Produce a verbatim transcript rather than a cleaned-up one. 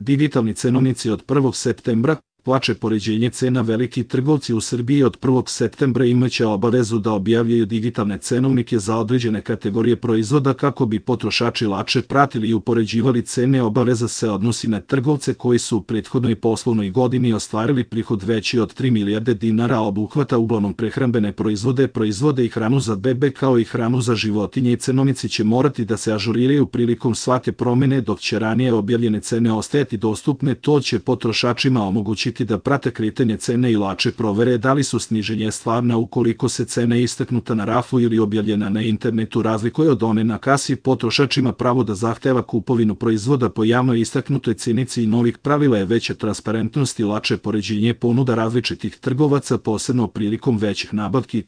Digitalni cenovnici od prvog septembra. Plače poređenje cena. Veliki trgovci u Srbiji od prvog septembra imaće obavezu da objavljaju digitalne cenovnike za određene kategorije proizvoda kako bi potrošači lakše pratili i upoređivali cene. Obaveza se odnosi na trgovce koji su u prethodnoj poslovnoj godini ostvarili prihod veći od tri milijarde dinara, a obuhvata uglavnom prehrambene proizvode, proizvode i hranu za bebe kao i hranu za životinje, i cenovnici će morati da se ažuriraju prilikom svake promene, dok će ranije objavljene cene ostajati dostupne. To će potrošačima omogućiti da prate kretanje cene i lakše provere da li su sniženje stvarna. Ukoliko se cena istaknuta na rafu ili objavljena na internetu razlikuje od one na kasi, potrošač ima pravo da zahteva kupovinu proizvoda po javno istaknutoj cenici i novih pravila je veća transparentnost i lakše poređenje ponuda različitih trgovaca, posebno prilikom većih nabavki.